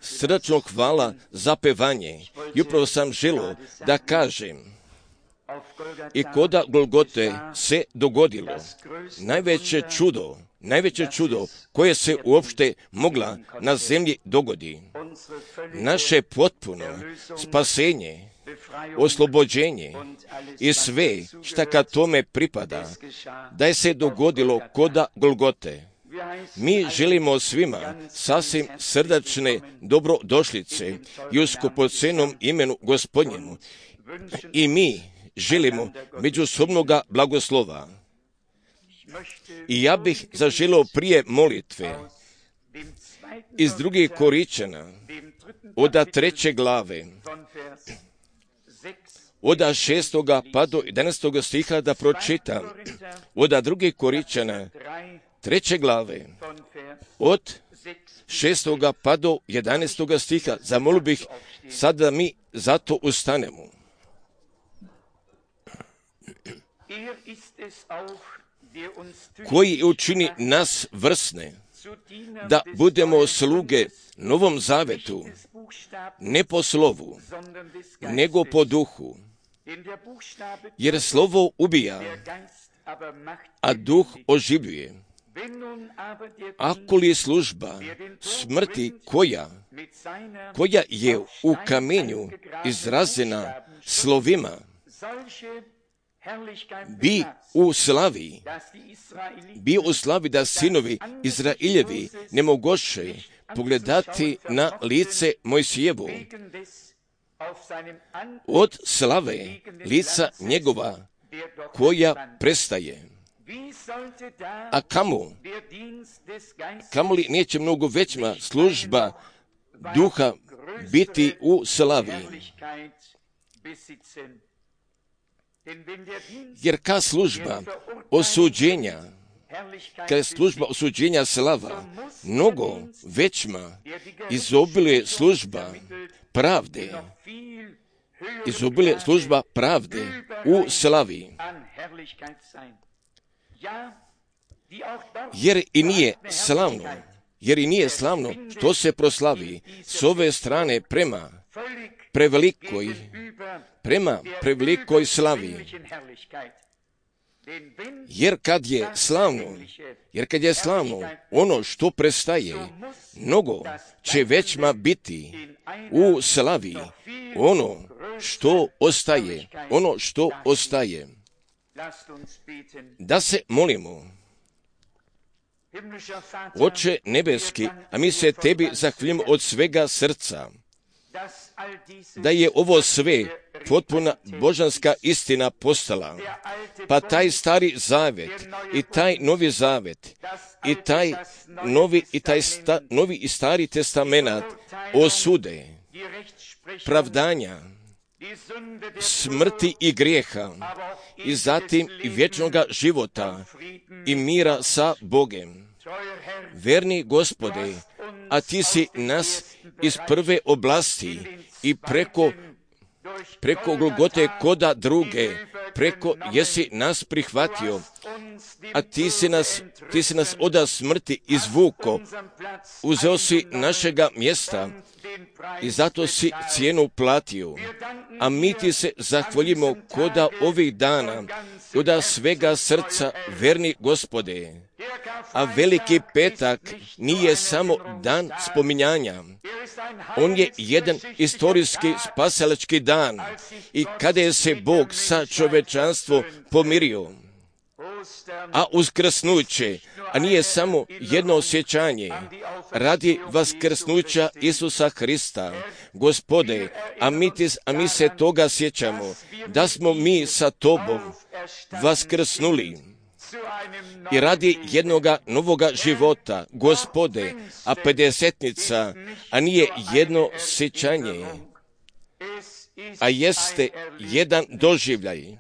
Srdačno hvala za pevanje. I upravo sam želio da kažem, i koda Golgote se dogodilo najveće čudo koje se uopšte mogla na zemlji dogodi. Naše potpuno spasenje, oslobođenje i sve šta kad tome pripada, da je se dogodilo koda Golgote. Mi želimo svima sasvim srdačne dobrodošlice i u skupocenom imenu Gospodnjemu. I mi želimo međusobnoga blagoslova. I ja bih zaželio prije molitve iz 2. Korinćana od 3. glave, od 6. pa do 11. stiha da pročitam. Od 2. Korinćana 3. glave, od 6. pa do 11. stiha. Zamolio bih sad da mi zato ustanemo. Koji učini nas vrsne, da budemo sluge Novom Zavetu, ne po slovu, nego po duhu. Jer slovo ubija, a duh oživljuje. Ako li služba smrti koja je u kamenju izražena slovima, bi u slavi da sinovi Izrailjevi ne mogoše pogledati na lice Mojsijevu od slave lica njegova koja prestaje. A kamo li neće mnogo veća služba duha biti u slavi? Jer kad služba osuđenja slava, mnogo većma izobiluje služba pravde u slavi. Jer i nije slavno što se proslavi s ove strane prema prevelikoj slavi. Jer kad je slavno ono što prestaje, mnogo će većma biti u slavi ono što ostaje. Da se molimo. Oče nebeski, a mi se tebi zahvaljujemo od svega srca, da je ovo sve potpuna božanska istina postala. Pa taj stari zavet i taj novi zavet i taj novi i stari testamenat osude, pravdanja, smrti i grijeha i zatim i vječnoga života i mira sa Bogem. Verni Gospode, a ti si nas iz prve oblasti i preko Golgote koda druge, jesi nas prihvatio, a ti si nas od smrti izvuko, uzeo si našega mjesta i zato si cijenu platio. A mi ti se zahvaljujemo koda ovih dana, koda svega srca, verni Gospode. A veliki petak nije samo dan spominjanja. On je jedan istorijski spasilački dan i kada je se Bog sa čovečanstvom pomirio. A uskrsnuće, a nije samo jedno osjećanje, radi vaskrsnuća Isusa Hrista. Gospode, a mi se toga sjećamo, da smo mi sa Tobom vaskrsnuli. I radi jednoga novoga života, Gospode, a pedesetnica, a nije jedno sjećanje, a jeste jedan doživljaj.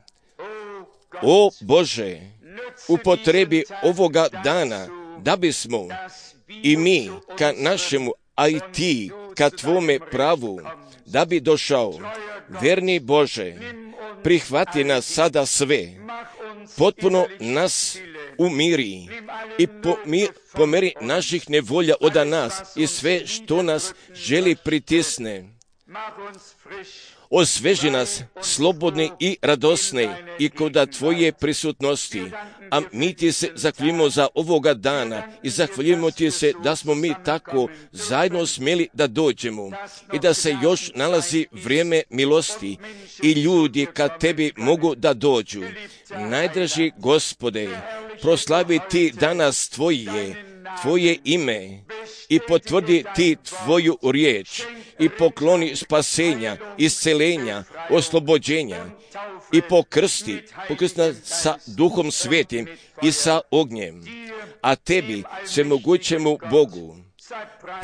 O Bože, upotrebi ovoga dana, da bismo i mi ka našemu, a i ti ka tvome pravu, da bi došao. Verni Bože, prihvati nas sada sve, potpuno nas umiri i pomeri naših nevolja od nas i sve što nas želi pritisne. Osveži nas slobodni i radosni i koda Tvoje prisutnosti. A mi Ti se zahvaljujemo za ovoga dana i zahvaljujemo Ti se da smo mi tako zajedno smjeli da dođemo i da se još nalazi vrijeme milosti i ljudi kad Tebi mogu da dođu. Najdraži Gospode, proslavi Ti danas Tvoje ime i potvrdi Ti Tvoju riječ i pokloni spasenja, iscelenja, oslobođenja i pokrsti nas sa Duhom Svetim i sa ognjem. A Tebi, svemogućemu Bogu,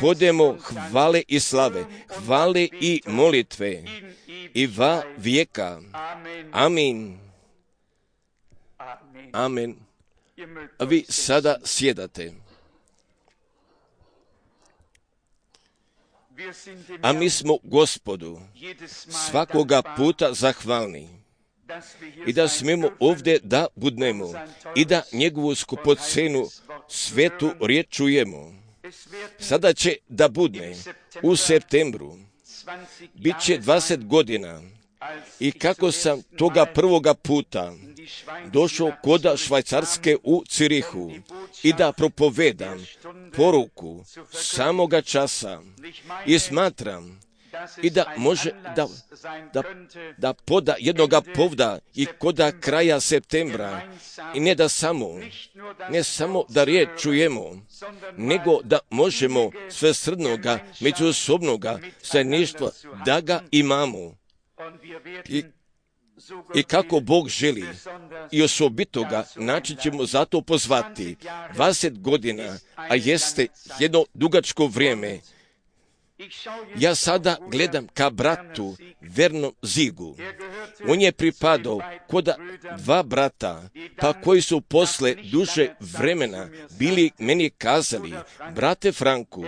podemo hvale i slave, hvale i molitve i va vijeka. Amin. Amen. A vi sada sjedate. A mi smo Gospodu svakoga puta zahvalni i da smijemo ovdje da budnemo i da njegovu skupocenu svetu riječ čujemo. Sada će da budne u septembru, bit će 20 godina i kako sam toga prvoga puta došao koda Švajcarske u Cirihu i da propovedam poruku samoga časa i smatram i da može da poda jednoga povda i koda kraja septembra i ne samo da riječ čujemo, nego da možemo svesrdnoga, međusobnoga zajedništva da ga imamo. I kako Bog želi i osobitoga način ćemo zato pozvati 20 godina, a jeste jedno dugačko vrijeme. Ja sada gledam ka bratu Vernom Zigu. On je pripadao koda dva brata, pa koji su posle duže vremena bili meni kazali, brate Franku,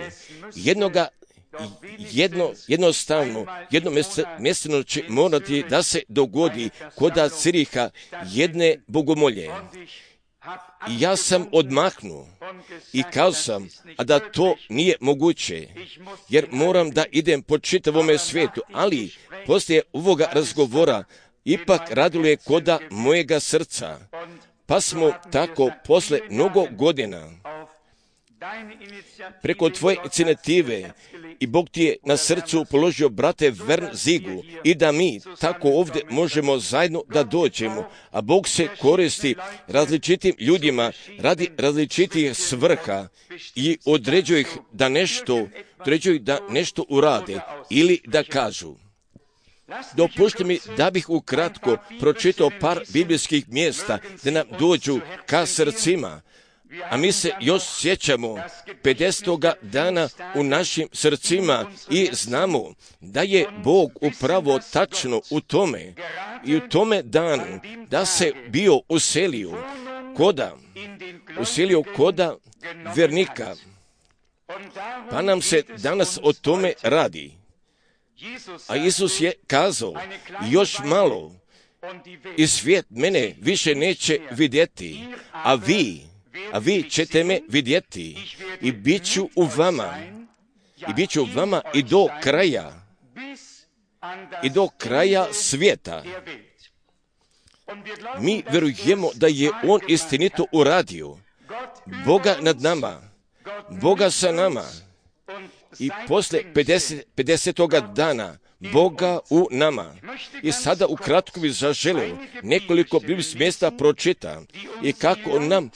jednostavno, jednomjesečno će morati da se dogodi koda Ciriha jedne bogomolje. I ja sam odmahnuo i kazao sam, a da to nije moguće, jer moram da idem po čitavome svijetu, ali poslije ovoga razgovora ipak radilo je koda mojega srca. Pa smo tako posle mnogo godina preko tvoje inicijative i Bog ti je na srcu položio brate Vern Zigu i da mi tako ovdje možemo zajedno da dođemo, a Bog se koristi različitim ljudima radi različitih svrha i određuje ih da nešto urade ili da kažu. Dopušte mi da bih ukratko pročitao par biblijskih mjesta da nam dođu ka srcima. A mi se još sjećamo 50. dana u našim srcima i znamo da je Bog upravo tačno u tome i u tome danu da se bio uselio koda vernika. Pa nam se danas o tome radi. A Isus je kazao, još malo i svijet mene više neće vidjeti, a vi ćete me vidjeti i bit ću u vama i do kraja svijeta. Mi vjerujemo da je On istinito uradio. Boga nad nama, Boga sa nama i posle 50. dana Boga u nama. I sada ukratko bih zaželeo nekoliko biblijskih mjesta pročita i kako nam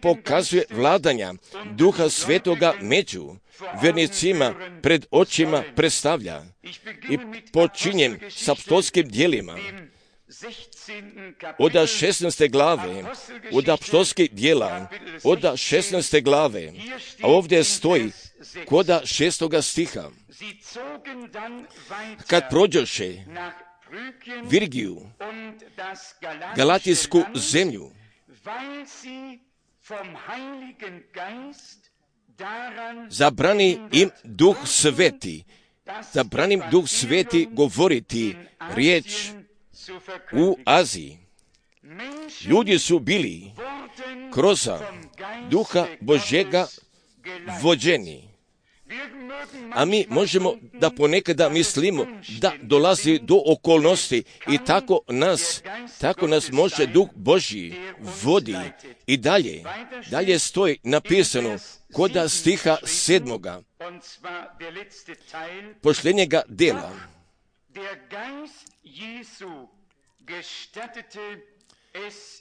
pokazuje vladanja Duha Svetoga među vernicima pred očima predstavlja. I počinjem s apostolskim djelima od 16. glave, od apostolskih djela, od 16. glave, a ovdje stoji koda 6. stiha. Kad prođoše Virgiju, Galatijsku zemlju, zabrani im Duh Sveti govoriti riječ u Aziji. Ljudi su bili kroz Duha Božjega vođeni. A mi možemo da ponekada mislimo da dolazi do okolnosti i tako nas može Duh Božji vodi. I dalje stoji napisano kod stiha 7. posljednjega dela.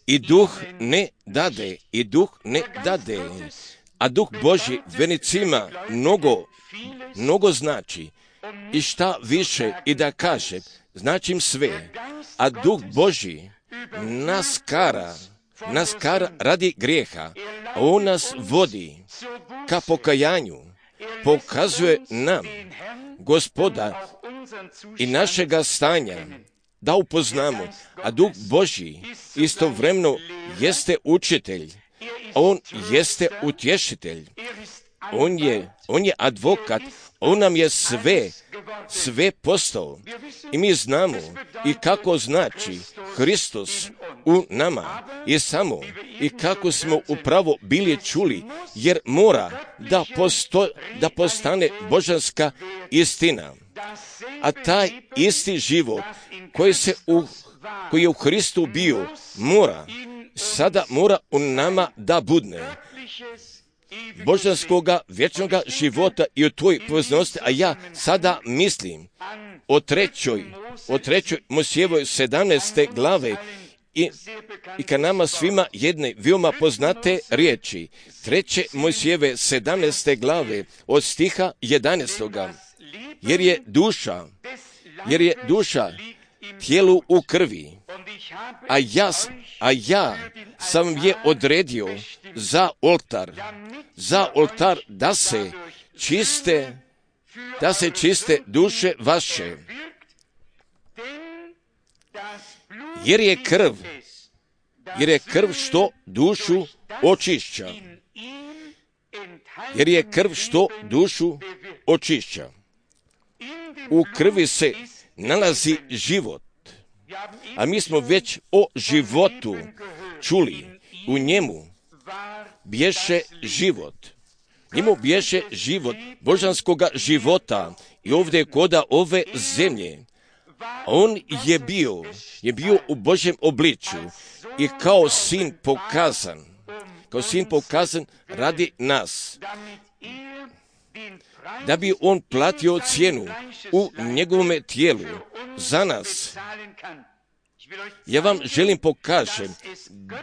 I duh ne dade, a Duh Božji vernicima mnogo znači. I šta više i da kaže, značim sve, a Duh Božji nas kara radi grijeha, a On nas vodi ka pokajanju, pokazuje nam Gospoda i našega stanja, da upoznamo, a Duh Božji istovremeno jeste učitelj, On jeste utješitelj, On je advokat, On nam je sve postao. I mi znamo i kako znači Hristos u nama i kako smo upravo bili čuli, jer mora da postane božanska istina. A taj isti život koji je u Hristu bio, sada mora u nama da budne božanskoga vječnoga života i o tvojoj poveznosti. A ja sada mislim o trećoj Mojsijevoj 17. glave i ka nama svima jedne veoma poznate riječi. 3. Mojsijeve 17. glave od stiha 11. Jer je duša tijelu u krvi, a ja sam je odredio za oltar da se duše vaše. Jer je krv što dušu očišća. U krvi se nalazi život. A mi smo već o životu čuli. U njemu bješe život. Njemu bješe život božanskoga života i ovdje koda ove zemlje. On je bio u Božjem obličju i kao sin pokazan radi nas. Da bi on platio cijenu u njegovome tijelu za nas. Ja vam želim pokažem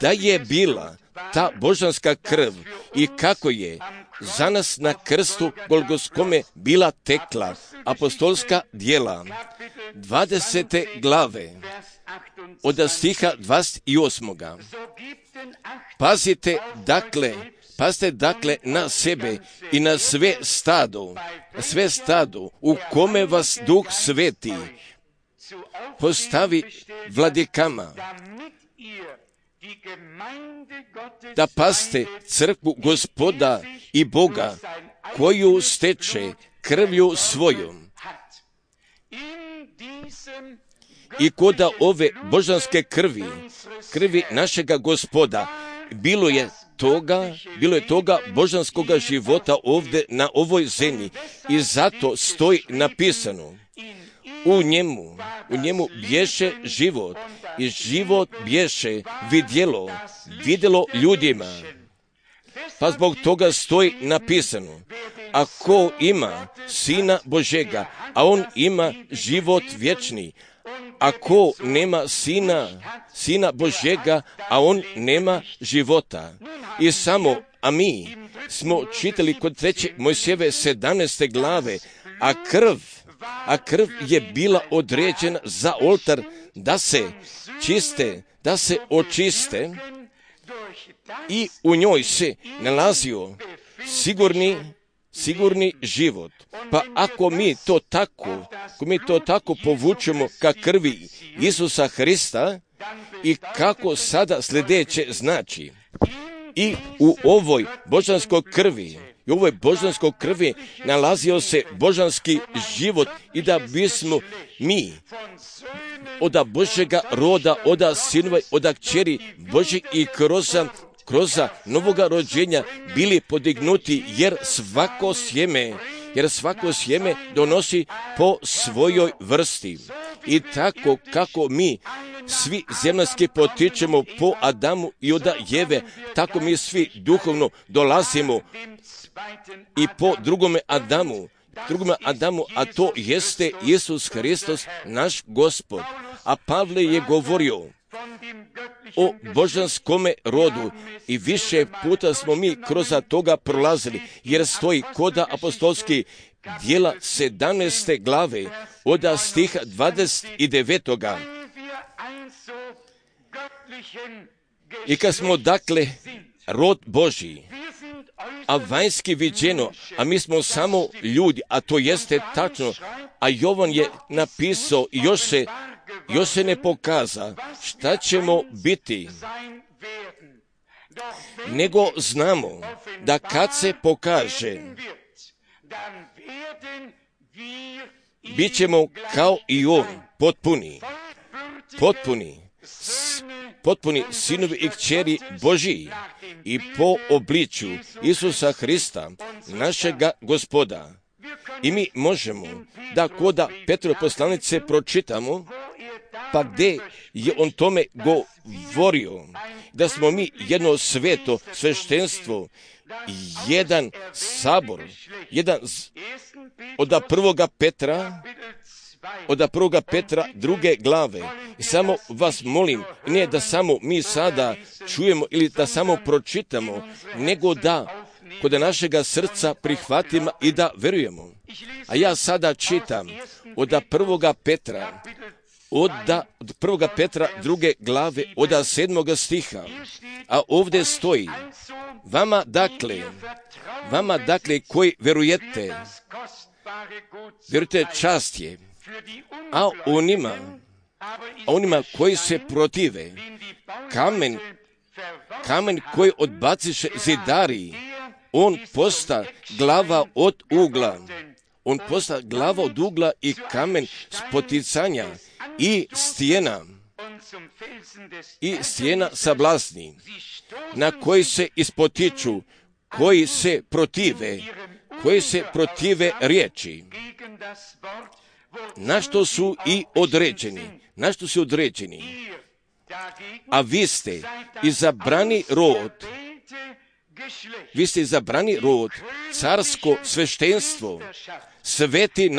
da je bila ta božanska krv i kako je za nas na krstu Golgotskome bila tekla. Apostolska djela 20. glave od stiha 28. Pazite dakle na sebe i na sve stado u kome vas Duh Sveti postavi vladikama, da paste crkvu Gospoda i Boga, koju steče krvlju svojom. I koda ove božanske krvi našega Gospoda, bilo je toga božanskoga života ovdje na ovoj zemlji. I zato stoji napisano, u njemu bješe život i život bješe vidjelo ljudima. Pa zbog toga stoji napisano, ako ima Sina Božega, a on ima život vječni. Ako nema Sina Božega, a on nema života. A mi smo čitali kod 3. Mojsijeve 17. glave, a krv je bila određena za oltar da se očiste i u njoj se nalazio sigurni život. Pa ako mi to tako povučemo ka krvi Isusa Hrista i kako sada sljedeće znači, i u ovoj božanskoj krvi i u ovoj božanskoj krvi nalazio se božanski život i da bismo mi od Božjega roda, od sinova, od kćeri Božjeg i kroz novoga rođenja bili podignuti, jer svako sjeme donosi po svojoj vrsti. I tako kako mi svi zemaljski potičemo po Adamu i od Jeve, tako mi svi duhovno dolazimo i po drugome Adamu, a to jeste Isus Hristos, naš Gospod. A Pavle je govorio o božanskome rodu i više puta smo mi kroz toga prolazili, jer stoji kod apostolskih djela 17. glave od stiha 29. I kad smo dakle rod Božji, a vanjski viđeno, a mi smo samo ljudi, a to jeste tačno, a Jovan je napisao i još se ne pokaza šta ćemo biti, nego znamo da kad se pokaže, bit ćemo kao i on, potpuni sinovi i kćeri Božiji i po obličju Isusa Hrista, našega Gospoda. I mi možemo da koda Petrove poslanice pročitamo, pa gdje je on tome govorio, da smo mi jedno sveto sveštenstvo, jedan sabor, od prvoga Petra druge glave. I samo vas molim, ne da samo mi sada čujemo ili da samo pročitamo, nego da kod našega srca prihvatimo i da verujemo. A ja sada čitam od prvoga Petra druge glave od 7. stiha, a ovdje stoji: vama dakle koji verujete čast je, a onima koji se protive, kamen koji odbaciše zidari, on posta glava od ugla i kamen spoticanja i stijena sablasni, na koji se ispotiču, koji se protive riječi, na što su i određeni. A vi ste izabrani rod, carsko sveštenstvo, sveti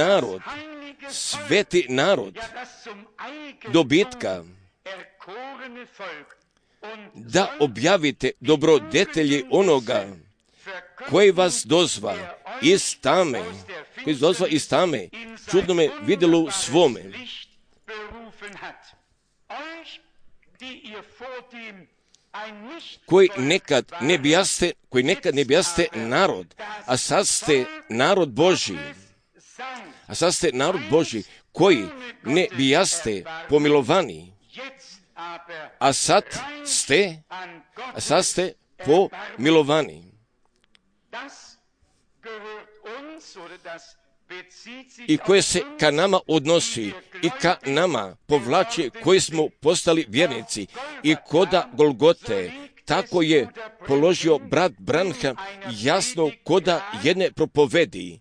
narod dobitka, da objavite dobrodetelji onoga koji vas dozva iz tame, čudnome vidjelu svome, koji nekad ne bijaste narod, a sad ste narod Božji, koji ne bijaste pomilovani, a sad ste pomilovani. I koje se ka nama odnosi i ka nama povlači koji smo postali vjernici. I koda Golgote, tako je položio brat Branham jasno koda jedne propovedi.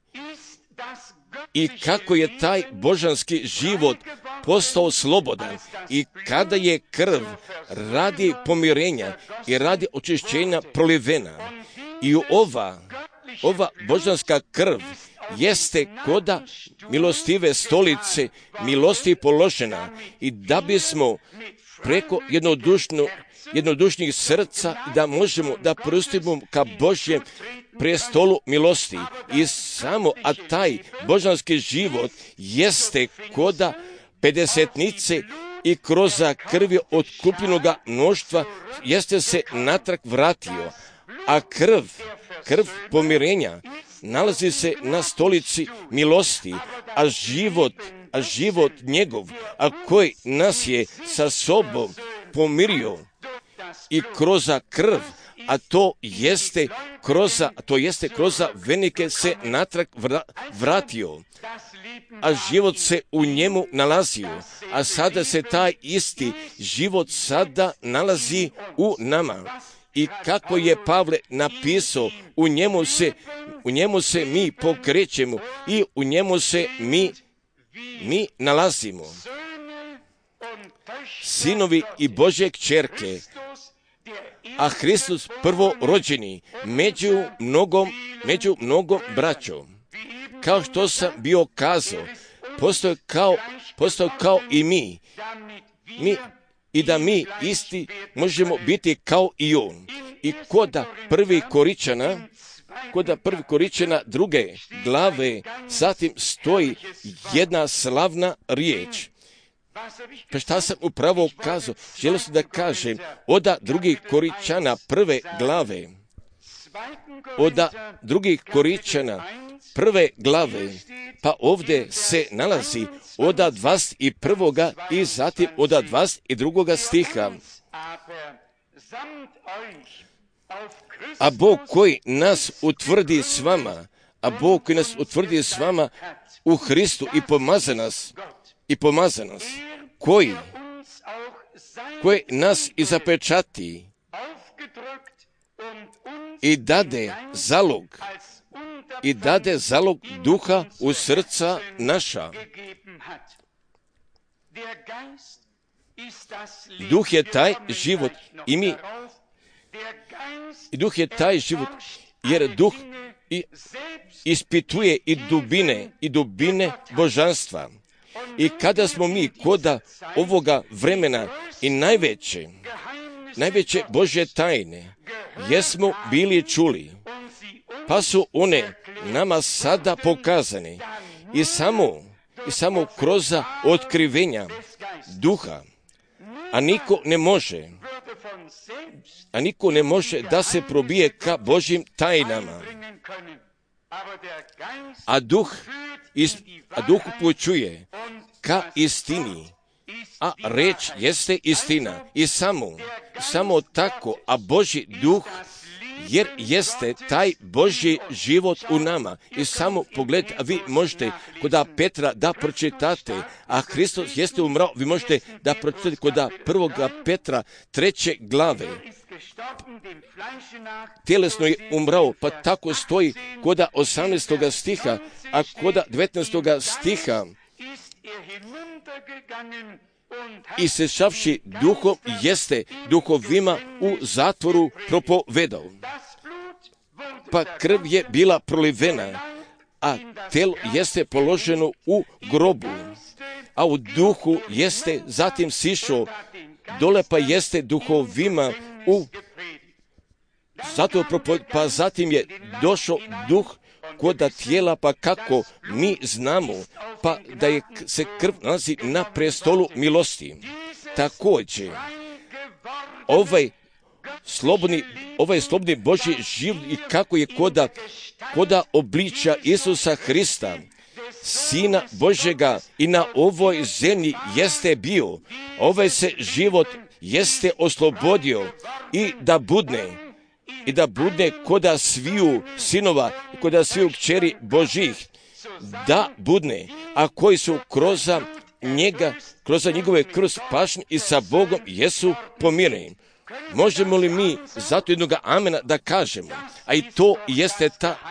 I kako je taj božanski život postao slobodan i kada je krv radi pomirenja i radi očišćenja prolivena. I ova božanska krv jeste koda milostive stolice milosti položena, i da bismo preko jednodušnih srca da možemo da pristupimo ka Božjem prestolu milosti. I samo, a taj božanski život jeste koda pedesetnice i kroz krvi otkupljenoga mnoštva jeste se natrag vratio, a krv pomirenja nalazi se na stolici milosti, a život njegov, a koji nas je sa sobom pomirio i kroz krv, a to jeste kroz venike se natrag vratio, a život se u njemu nalazio, a sada se taj isti život sada nalazi u nama. I kako je Pavle napisao, u njemu se mi pokrećemo i u njemu se mi nalazimo. Sinovi i Božje kćerke, a Hristos prvorođeni među mnogom braćom. Kao što sam bio kazao, postao kao i mi. I da mi isti možemo biti kao i on. I koda prvi Koričana druge glave, zatim stoji jedna slavna riječ. Pa šta sam upravo kazao? Želio sam da kažem, oda drugih Koričana prve glave, pa ovdje se nalazi oda 21. i zatim oda 22. stiha. A Bog koji nas utvrdi s vama, u Hristu i pomaza nas, koji nas i zapečati i dade zalog duha u srca naša. Duh je taj život i Duh je taj život, jer Duh ispituje i dubine božanstva. I kada smo mi koda ovoga vremena i najveće Božje tajne jesmo bili čuli, pa su one nama sada pokazane i samo kroz otkrivenja Duha, a niko ne može da se probije ka Božjim tajnama. A Duh upućuje ka istini, a reč jeste istina. I samo tako, a Božji Duh, jer jeste taj Božji život u nama. I samo pogled, a vi možete kod Petra da pročitate, a Hristos jeste umrao, vi možete da pročitate kod 1. Petra 3. glave. Tjelesno je umrao, pa tako stoji kod 18. stiha, a kod 19. stiha, i sešavši duhom jeste duhovima u zatvoru propovedao. Pa krv je bila prolivena, a telo jeste položeno u grobu, a u duhu jeste zatim sišao dole, pa jeste duhovima u zatvoru, pa zatim je došao duh koda tijela, pa kako mi znamo, pa da se krv nalazi na prestolu milosti. Također, ovaj slobodni Božji život i kako je koda obličja Isusa Hrista, Sina Božjega, i na ovoj zemlji jeste bio, ovaj se život jeste oslobodio i da budne koda sviju sinova i koda sviju kćeri Božih, da budne, a koji su kroz njegove krv spašeni i sa Bogom jesu pomireni. Možemo li mi zato jednoga amena da kažemo? A i to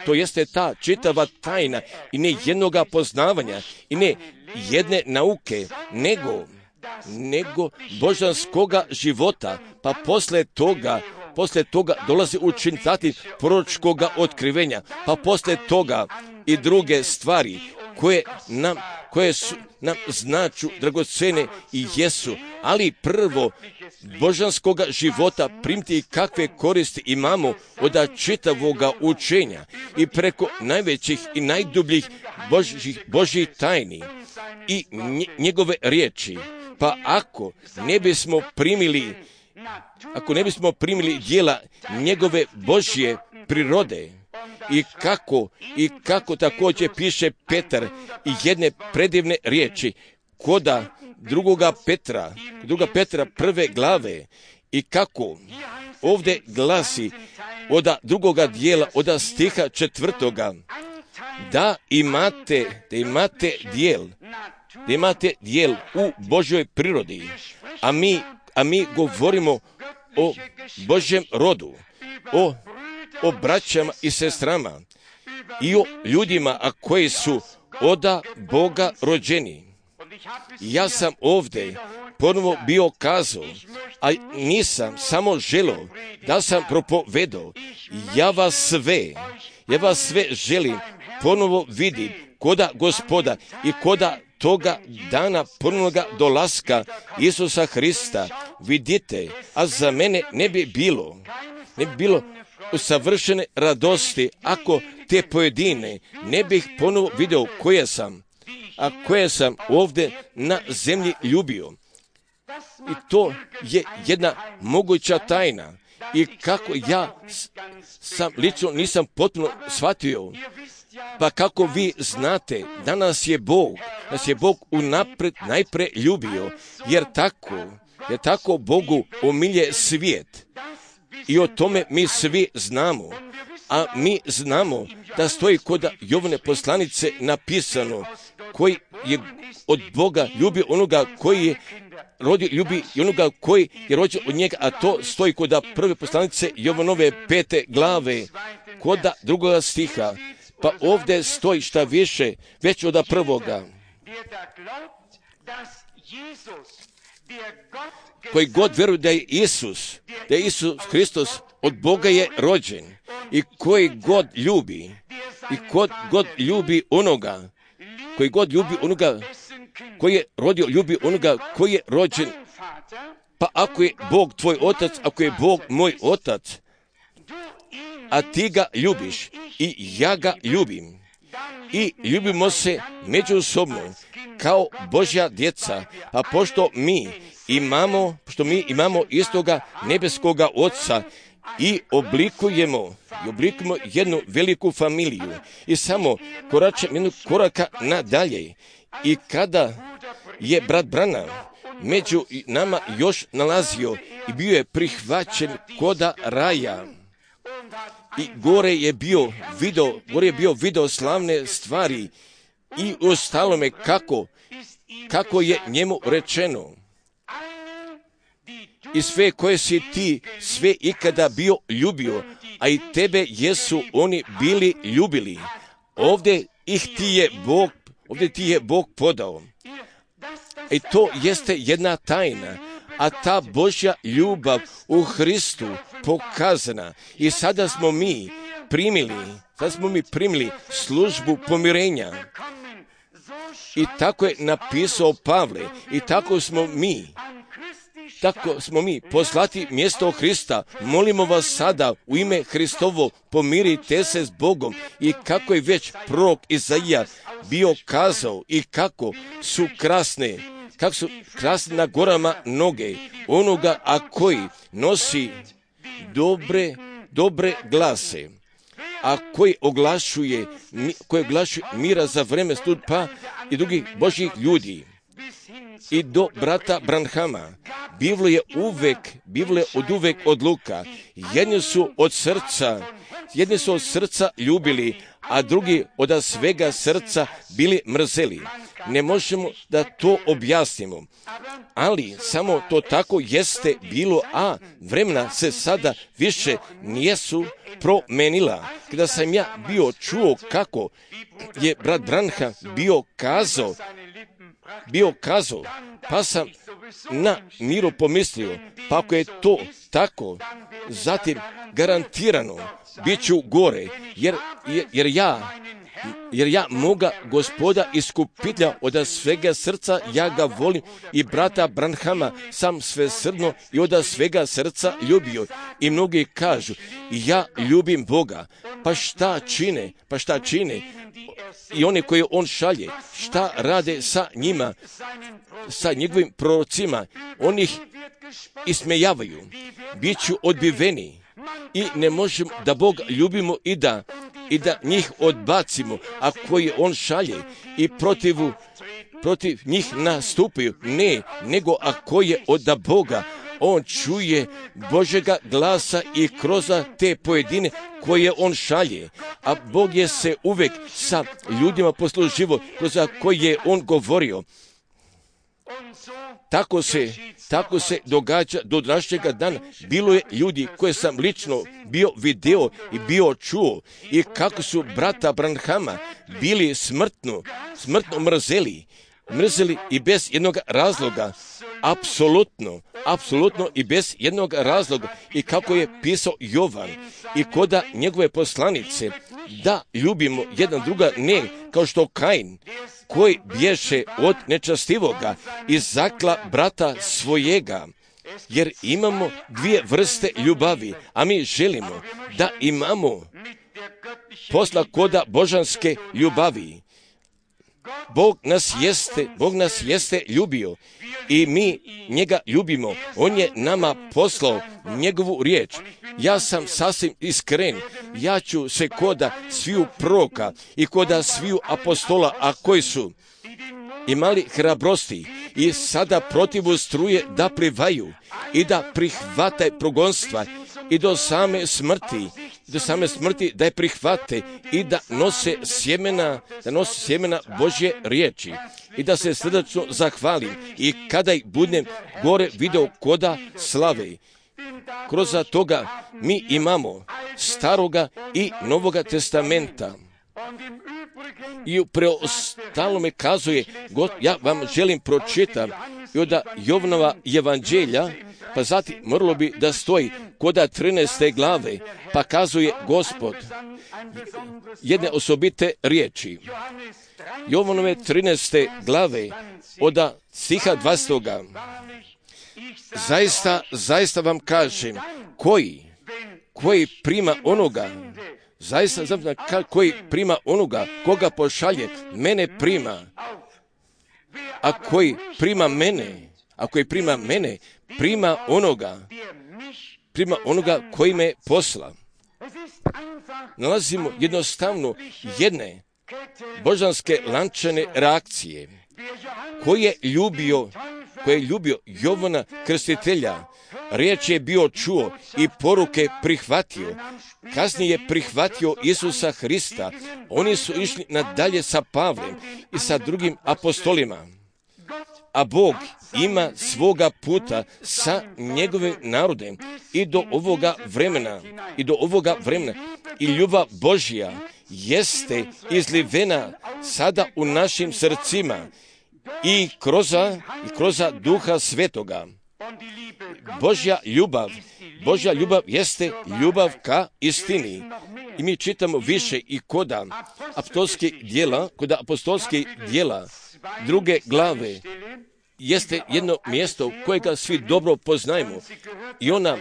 jeste ta čitava tajna i ne jednoga poznavanja i ne jedne nauke, nego božanskoga života, pa posle toga dolazi učiniti proročkoga otkrivenja, pa posle toga i druge stvari koje su nam značu dragocene i jesu, ali prvo božanskoga života primiti kakve koristi imamo od čitavoga učenja i preko najvećih i najdubljih Božjih tajni i njegove riječi. Pa ako ne bismo primili djela njegove Božje prirode, i kako također piše Petar i jedne predivne riječi koda druga Petra prve glave I kako ovdje glasi od drugoga dijela, od stiha 4. da imate dijel u Božjoj prirodi, a mi govorimo o Božjem rodu, o braćama i sestrama i o ljudima koji su od Boga rođeni. Ja sam ovdje ponovo bio kazao, a nisam samo želio da sam propovedao. Ja vas sve želim ponovo vidjeti koda Gospoda i koda toga dana ponovnoga dolaska Isusa Hrista. Vidite, a za mene ne bi bilo savršene radosti ako te pojedine ne bih ponovo vidio koje sam ovdje na zemlji ljubio. I to je jedna moguća tajna. I kako ja sam lično nisam potpuno shvatio. Pa kako vi znate, da nas je Bog unaprijed najpre ljubio, jer tako Bogu omilje svijet. I o tome mi svi znamo. A mi znamo da stoji kod Jovane poslanice napisano, koji je od Boga ljubio onoga koji je rodio, ljubi i onoga koji je rođen od njega, a to stoji kod prve poslanice Jovanove 5. glave, kod 2. stiha. Pa ovdje stoji šta više, već od 1. Koji god vjeruje da je Isus Hristos od Boga je rođen, i koji god ljubi onoga koji je rodio, ljubi onoga koji je rođen. Pa ako je Bog tvoj otac, ako je Bog moj otac, a ti ga ljubiš i ja ga ljubim, i ljubimo se međusobno kao Božja djeca, a pošto mi imamo istoga nebeskoga Oca i oblikujemo jednu veliku familiju i samo koračemo jednog koraka nadalje. I kada je brat Branham među nama još nalazio i bio je prihvaćen koda raja, i gore je bio video slavne stvari i ostalome kako je njemu rečeno, i sve koje si ti sve ikada bio ljubio, a i tebe jesu oni bili ljubili. Ovdje ti je Bog podao. I to jeste jedna tajna, a ta Božja ljubav u Hristu pokazana. I sada smo mi primili službu pomirenja. I tako je napisao Pavle. I tako smo mi poslati mjesto Hrista. Molimo vas sada u ime Hristovo, pomirite se s Bogom. I kako je već prorok Izaija bio kazao, i kako su krasne na gorama noge onoga, a koji nosi dobre glase, a koji oglašuje mira za vreme stupa i drugih Božjih ljudi. I do brata Branhama Biblo je od uvek odluka. Jedni su od srca ljubili, a drugi od svega srca bili mrzeli. Ne možemo da to objasnimo, ali samo to tako jeste bilo, a vremena se sada više nijesu promenila. Kada sam ja bio čuo kako je brat Branham bio kazao, pa sam na miru pomislio, pa ako je to tako, zatim garantirano bit ću gore, jer ja moga Gospoda iskupitelja od svega srca, ja ga volim, i brata Branhama sam svesrdno i od svega srca ljubio. I mnogi kažu, ja ljubim Boga, pa šta čine? I one koje on šalje, šta rade sa njima, sa njegovim prorocima? Oni ih ismejavaju, bit ću odbiveni, i ne možemo da Boga ljubimo i da njih odbacimo, a koje on šalje i protiv njih nastupaju. Ne, nego ako je od Boga, on čuje Božjega glasa i kroz te pojedine koje on šalje. A Bog je se uvek sa ljudima posluživo kroz koje je on govorio. Tako se događa do današnjega dana. Bilo je ljudi koje sam lično bio video i bio čuo i kako su brata Branhama bili smrtno mrzeli i bez jednog razloga. Apsolutno i bez jednog razloga. I kako je pisao Jovan i koda njegove poslanice, da ljubimo jedan druga, ne kao što Kain, koji bješe od nečastivoga i zakla brata svojega. Jer imamo dvije vrste ljubavi, a mi želimo da imamo posla koda božanske ljubavi. Bog nas jeste ljubio i mi njega ljubimo. On je nama poslao njegovu riječ. Ja sam sasvim iskren. Ja ću se koda sviju proroka i koda sviju apostola, a koji su imali hrabrosti i sada protivu struje da plivaju i da prihvate progonstva i do same smrti da je prihvate i da nose sjemena Božje riječi i da se srdačno zahvalim i kada ih budem gore video koda slave. Kroz toga mi imamo Staroga i Novoga testamenta. I u preostalome kazuje, ja vam želim pročitati i od Jovanova evanđelja, pa zatim moralo bi da stoji koda 13. glave, pa kazuje Gospod jedne osobite riječi. Jovanove 13. glave od stiha 20. Zaista vam kažem, koji prima onoga, koji prima onoga koga pošalje, mene prima. A koji prima mene, prima onoga koji me posla. Nalazimo jednostavno jedne božanske lančane reakcije koje je ljubio Jovana Krstitelja. Riječ je bio čuo i poruke prihvatio. Kasnije prihvatio Isusa Hrista. Oni su išli nadalje sa Pavlem i sa drugim apostolima. A Bog ima svoga puta sa njegovim narodem i do ovoga vremena. I ljubav Božja jeste izlivena sada u našim srcima i kroz Duha Svetoga. Božja ljubav jeste ljubav ka istini. I mi čitamo više i kod apostolskih djela 2. glave jeste jedno mjesto kojega svi dobro poznajemo i ona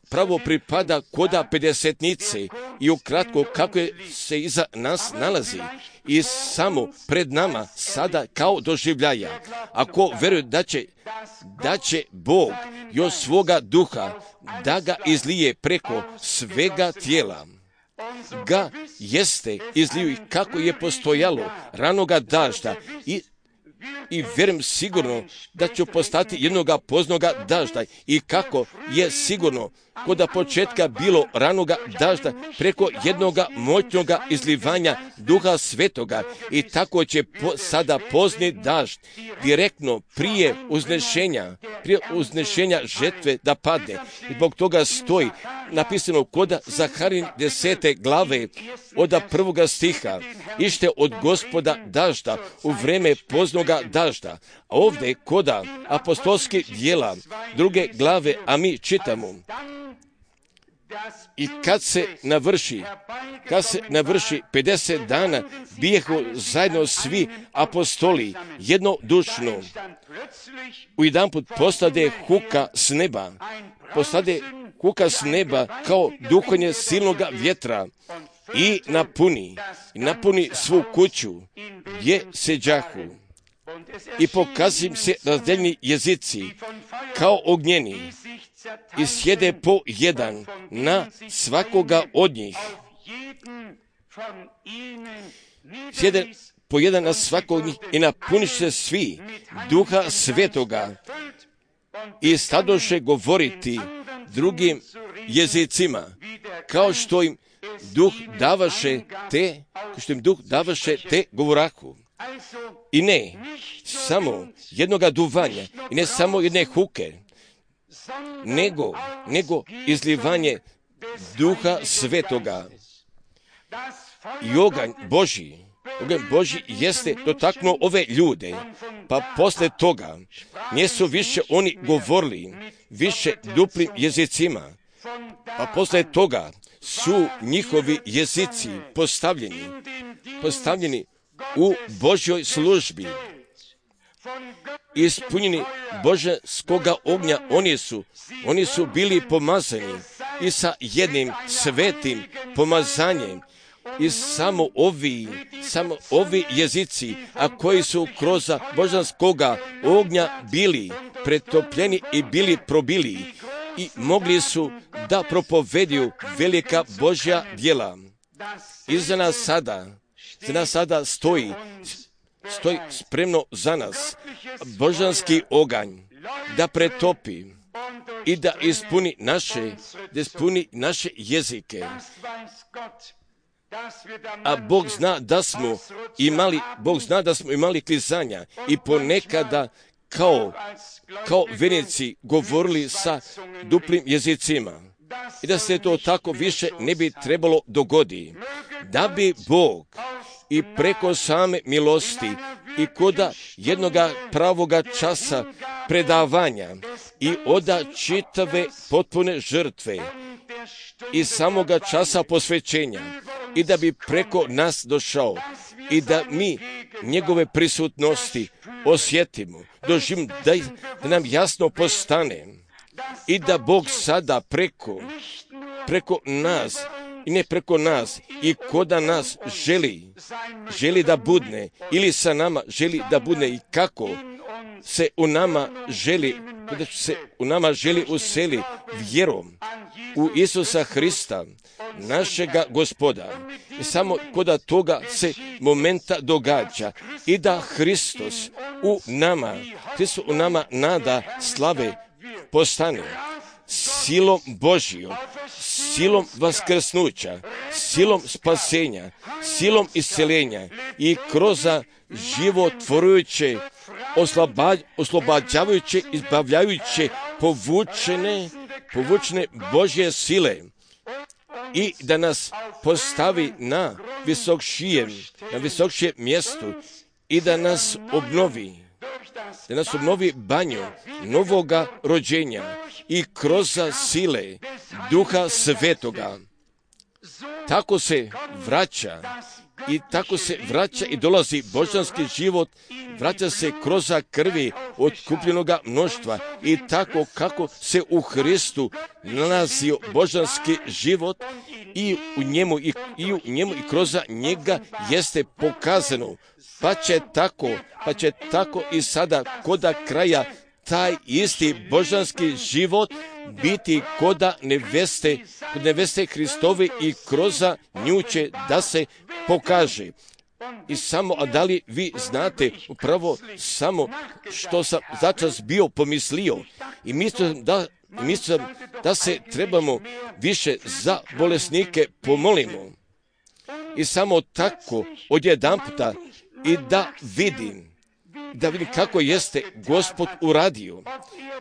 pravo pripada koda pedesetnice i ukratko kako se iza nas nalazi i samo pred nama sada kao doživljaja. Ako vjeruje da će Bog još svoga duha da ga izlije preko svega tijela, ga jeste izliju kako je postojalo ranoga dažda i vjerujem sigurno da će postati jednoga poznoga dažda i kako je sigurno kod početka bilo ranoga dažda preko jednoga moćnoga izlivanja Duha Svetoga i tako će sada pozni dažd direktno prije uznešenja žetve da padne. I zbog toga stoji napisano kod Zaharin 10. glave od 1. stiha, ište od Gospoda dažda u vreme poznoga dažda. A ovdje kod apostolskih djela 2. glave, a mi čitamo i kad se navrši 50 dana, bijehu zajedno svi apostoli jednodušno. U jedanput postade huka s neba kao duhanje silnoga vjetra i napuni svu kuću gdje seđahu. I pokazuju se razdeljeni jezici kao ognjeni i sjede po jedan na svakoga od njih. Sjede po jedan na svakog od njih i napuniš se svi Duha Svetoga i stadoše govoriti drugim jezicima, kao što im duh davaše te govorahu. I ne samo jednoga duvanja, i ne samo jedne huke, nego izlivanje Duha Svetoga. I oganj Božji jeste dotaknuo ove ljude, pa posle toga nisu više oni govorili više duplim jezicima, pa posle toga su njihovi jezici postavljeni u Božjoj službi. Ispunjeni božanskoga ognja, oni su bili pomazani i sa jednim svetim pomazanjem. I samo ovi jezici, a koji su kroz božanskoga ognja bili pretopljeni i bili probili i mogli su da propovediju velika Božja djela. I za nas sada stoji spremno za nas božanski oganj da pretopi i da ispuni naše jezike. A Bog zna da smo imali klizanja i ponekada kao vjernici govorili sa duplim jezicima. I da se to tako više ne bi trebalo dogoditi. Da bi Bog i preko same milosti i koda jednoga pravoga časa predavanja i oda čitave potpune žrtve i samoga časa posvećenja, i da bi preko nas došao i da mi njegove prisutnosti osjetimo, doživimo, da nam jasno postane i da Bog sada preko nas i ne preko nas i koda nas želi da budne ili sa nama želi da budne i kako se u nama želi useli vjerom u Isusa Hrista, našega Gospoda. I samo koda toga se momenta događa i da Hristos u nama nada slave postane silom Božijom, silom vaskrsnuća, silom spasenja, silom isceljenja i kroz životvorujuće, oslobađavajuće, izbavljajuće, povučene Božje sile i da nas postavi na visokšijem mjestu i da nas obnovi banju novoga rođenja i kroz sile Duha Svetoga. Tako se vraća i dolazi božanski život, vraća se kroz krvi otkupljenoga mnoštva i tako kako se u Hristu nalazio božanski život i u njemu i kroz njega jeste pokazano, pa će tako i sada koda kraja taj isti božanski život biti koda neveste Hristovi i kroz nju će da se pokaže. I samo, a da li vi znate upravo samo što sam začas bio pomislio i mislim da se trebamo više za bolesnike pomolimo. I samo tako odjedanputa i da vidim kako jeste Gospod uradio.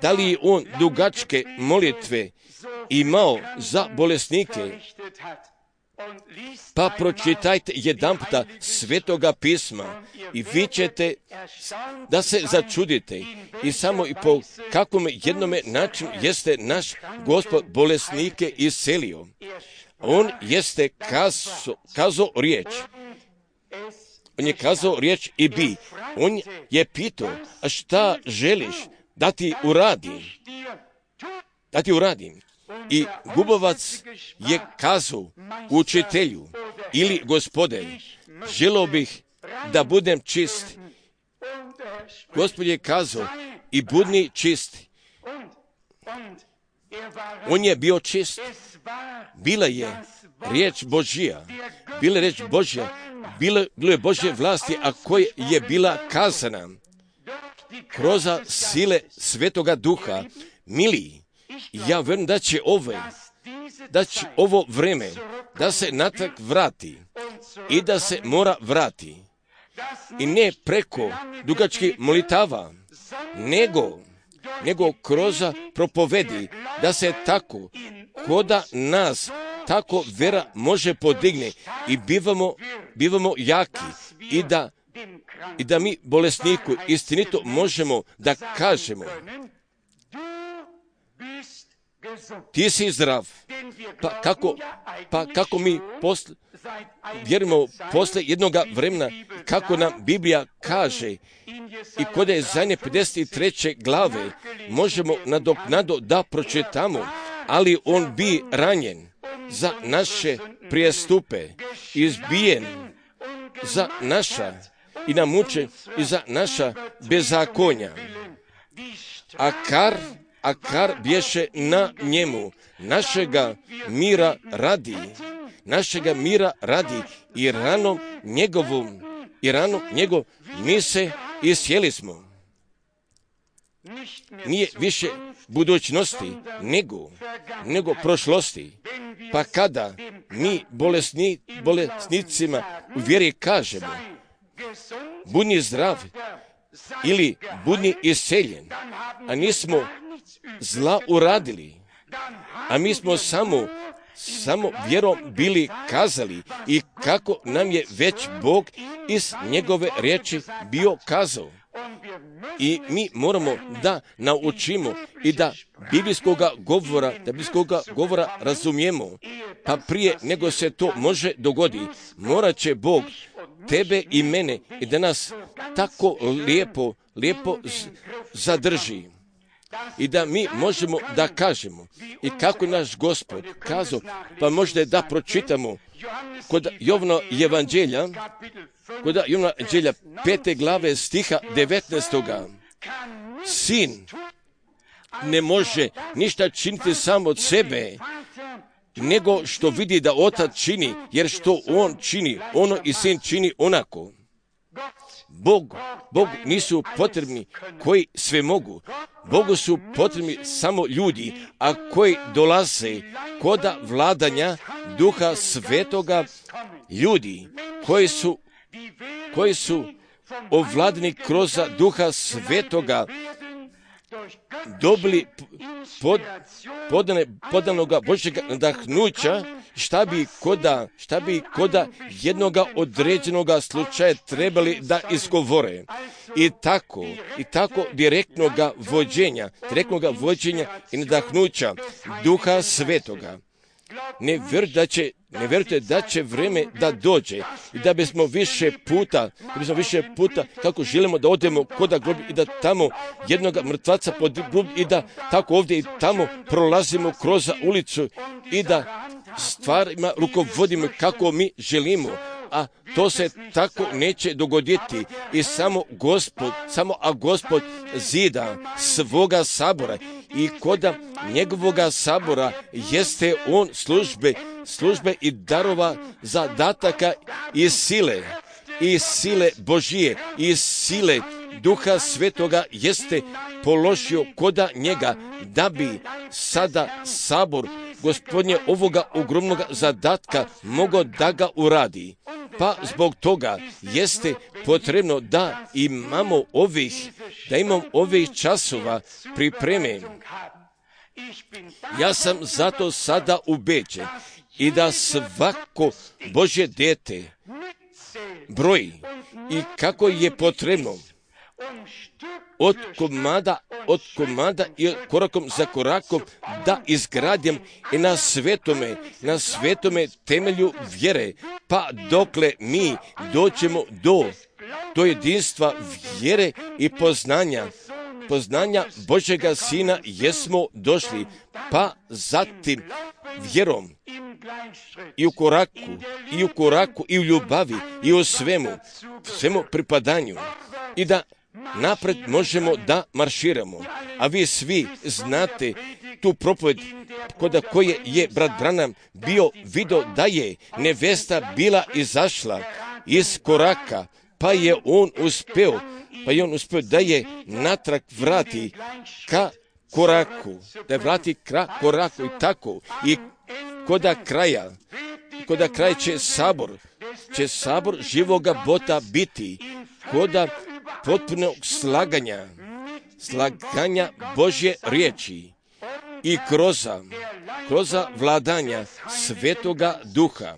Da li je on dugačke molitve imao za bolesnike? Pa pročitajte jedanputa Svetoga pisma i vi ćete da se začudite i samo i po kakvom jednome načinu jeste naš Gospod bolesnike iscelio. On jeste kazao riječ. On je kazao riječ i bi. On je pitao, a šta želiš da ti uradim? I Gubovac je kazao učitelju ili Gospode, želio bih da budem čist. Gospod je kazao i budni čisti. On je bio čist. Bila je riječ Božja. Bilo je Božje vlasti, a koja je bila kazana kroz sile Svetoga Duha. Mili, ja vjerujem da će ovo vreme da se natrag vrati i da se mora vrati. I ne preko dugačkih molitava, nego kroz propovedi, da se tako, koda nas tako vera može podigne i bivamo jaki i da mi bolesniku istinito možemo da kažemo: ti si zdrav. Pa kako mi vjerujemo posle jednog vremena, kako nam Biblija kaže, i kod je zadnje 53. glave možemo nadoknado da pročitamo, ali on bi ranjen za naše prijestupe, izbijen za naša i namučen i za naša bezakonja. A kar bješe na njemu, našega mira radi i ranom njegov mi se isjeli smo. Nije više budućnosti, nego prošlosti. Pa kada mi bolesnicima u vjeri kažemo: budni zdrav ili budni isceljen, a nismo zla uradili, a mi smo samo vjerom bili kazali, i kako nam je već Bog iz njegove riječi bio kazao. I mi moramo da naučimo i da biblijskoga govora razumijemo. Pa prije nego se to može dogoditi, morat će Bog tebe i mene i da nas tako lijepo zadrži. I da mi možemo da kažemo, i kako je naš Gospod kazao, pa možda da pročitamo kod Jovana Evanđelja, 5. glave stiha 19. Sin ne može ništa činiti sam od sebe, nego što vidi da otac čini, jer što on čini, ono i sin čini onako. Bog nisu potrebni koji sve mogu. Bogu su potrebni samo ljudi, a koji dolaze koda vladanja Duha Svetoga, ljudi koji su ovladani kroz Duha Svetoga, dobili podanoga Božjega nadahnuća, šta bi koda jednoga određenoga slučaja trebali da izgovore. I tako direktnoga vođenja i nadahnuća Duha Svetoga. Ne vjerujte da će vreme da dođe i da bismo više puta kako želimo da odemo kod groblja i da tamo jednoga mrtvaca pod grob i da tako ovdje i tamo prolazimo kroz ulicu i da stvarima rukovodimo kako mi želimo, a to se tako neće dogoditi. I samo Gospod zida svoga sabora, i koda njegovoga sabora jeste on službe i darova, zadataka i sile Božije i sile Duha Svetoga jeste položio koda njega, da bi sada sabor Gospodnje ovoga ogromnog zadatka mogao da ga uradi. Pa zbog toga jeste potrebno da imamo ovih časova pripreme. Ja sam zato sada ubeđen i da svako Božje dijete broji i kako je potrebno od komada i korakom za korakom da izgradim i na svetome temelju vjere, pa dokle mi dođemo do jedinstva vjere i poznanja Božjega Sina jesmo došli, pa zatim vjerom i u koraku i u ljubavi i u svemu pripadanju, i da napred možemo da marširamo. A vi svi znate tu propoved kod koje je brat Branham bio vidio da je nevesta bila izašla iz koraka, pa je on uspeo pa i on uspio da je natrag vrati ka koraku, da je vrati koraku i tako. I koda kraja će sabor živoga Boga biti, koda potpunog slaganja Božje riječi i kroz vladanja Svetoga Duha.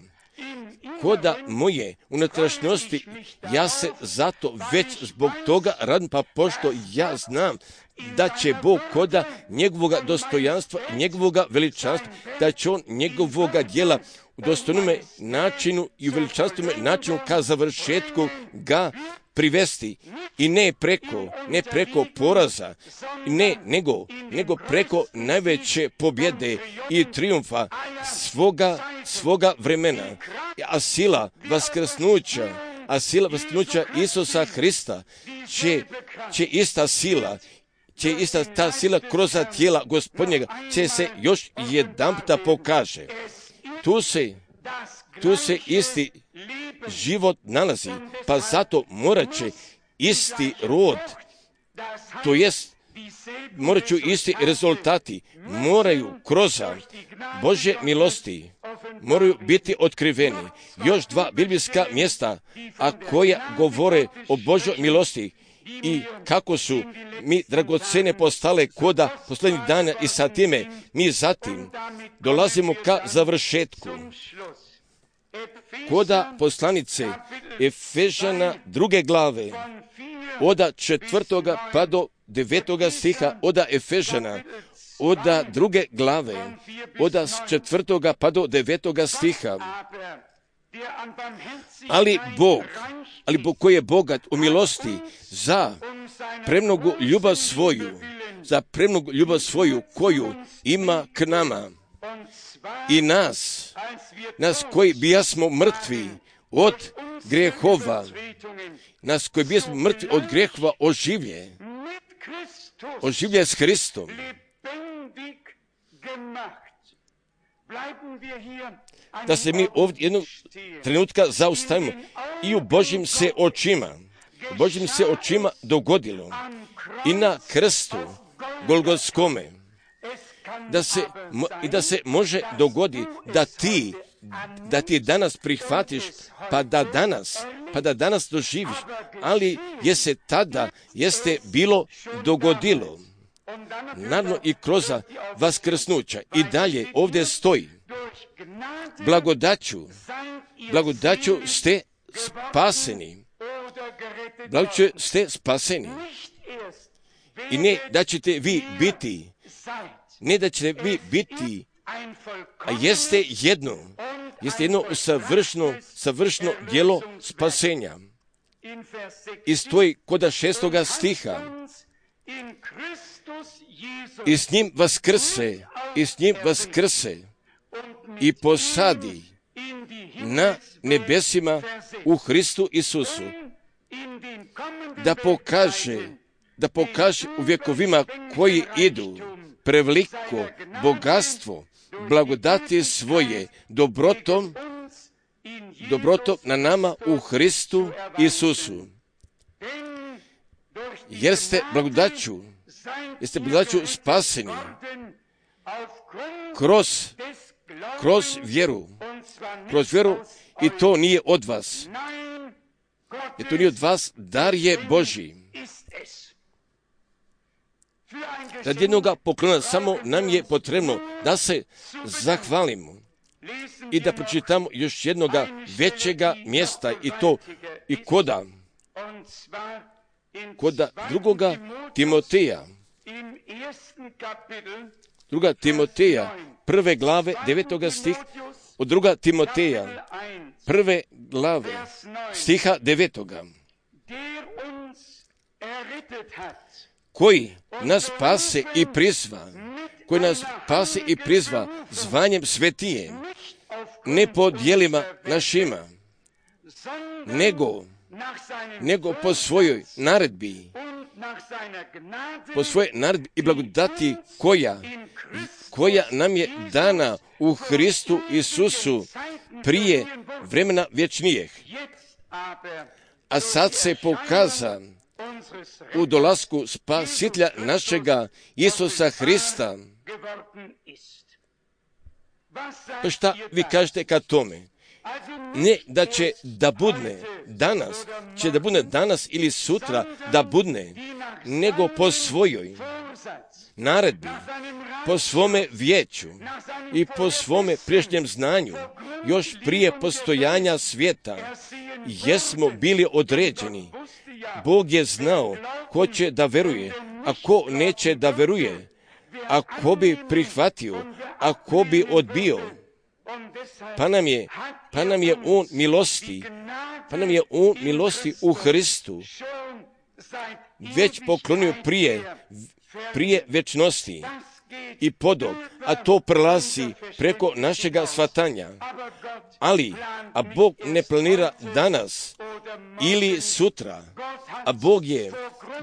Koda moje unutrašnjosti, ja se zato već zbog toga radim, pa pošto ja znam da će Bog koda njegovoga dostojanstva, njegovoga veličanstva, da će on njegovoga djela u dostojnome načinu i u veličanstvome načinu ka završetku ga privesti. I ne preko poraza, nego preko najveće pobjede i triumfa svoga vremena. A sila vaskrsnuća Isusa Hrista će ista ta sila kroz tijela Gospodnjega će se još jedanputa pokaže. Tu se isti život nalazi, pa zato morat će isti rod, to jest morat ću isti rezultati, moraju kroz Božje milosti, moraju biti otkriveni. Još dva biblijska mjesta, a koja govore o Božjoj milosti i kako su mi dragocene postale koda posljednjih dana i sa time mi zatim dolazimo ka završetku. Koda poslanice Efežana 2. glave, od 4. pa do 9. stiha, od Efežana, od 2. glave, od 4. pa do 9. stiha. Ali Bog koji je bogat u milosti za premnogu ljubav svoju koju ima k nama i nas koji bijasmo mrtvi od grehova, oživlje s Hristom. Da se mi ovdje jednog trenutka zaustavimo i u Božjim se očima dogodilo i na krstu Golgotskome, da se može dogoditi da ti danas prihvatiš, pa da danas doživiš, ali jeste bilo dogodilo. Naravno i kroz vaskrsnuća i dalje ovdje stoji. Blagodaću ste spaseni. I ne da ćete vi biti, a jeste jedno savršeno djelo spasenja. I stoji kod 6. stiha. I s njim vaskrse i posadi na nebesima u Hristu Isusu, da pokaže u vjekovima koji idu preveliko bogatstvo blagodati svoje dobrotom na nama u Hristu Isusu. Jer ste blagodaću spaseni kroz vjeru, i to nije od vas. Dar je Božji. Radi jednoga poklona samo nam je potrebno da se zahvalimo i da pročitamo još jednoga većega mjesta, i to i koda 2. Timoteja, 2. Timoteja, 1. glave, 9. stih, od 2. Timoteja, 1. glave, stiha 9. Koji nas spase i prizva zvanjem svetije, ne po djelima našima, nego po svojoj naredbi i blagodati koja nam je dana u Hristu Isusu prije vremena vječnijeg. A sad se u dolasku Spasitelja našega Isusa Hrista. Pa šta vi kažete ka tome? Ne da će da budne danas ili sutra da budne, nego po svojoj naredbi, po svome vijeću i po svome priješnjem znanju, još prije postojanja svijeta, jesmo bili određeni. Bog je znao ko će da veruje, a ko neće da veruje, a ko bi prihvatio, a ko bi odbio. Pa nam je on milosti u Hristu već poklonio prije večnosti i podob, a to prelazi preko našega shvatanja. A Bog ne planira danas ili sutra, a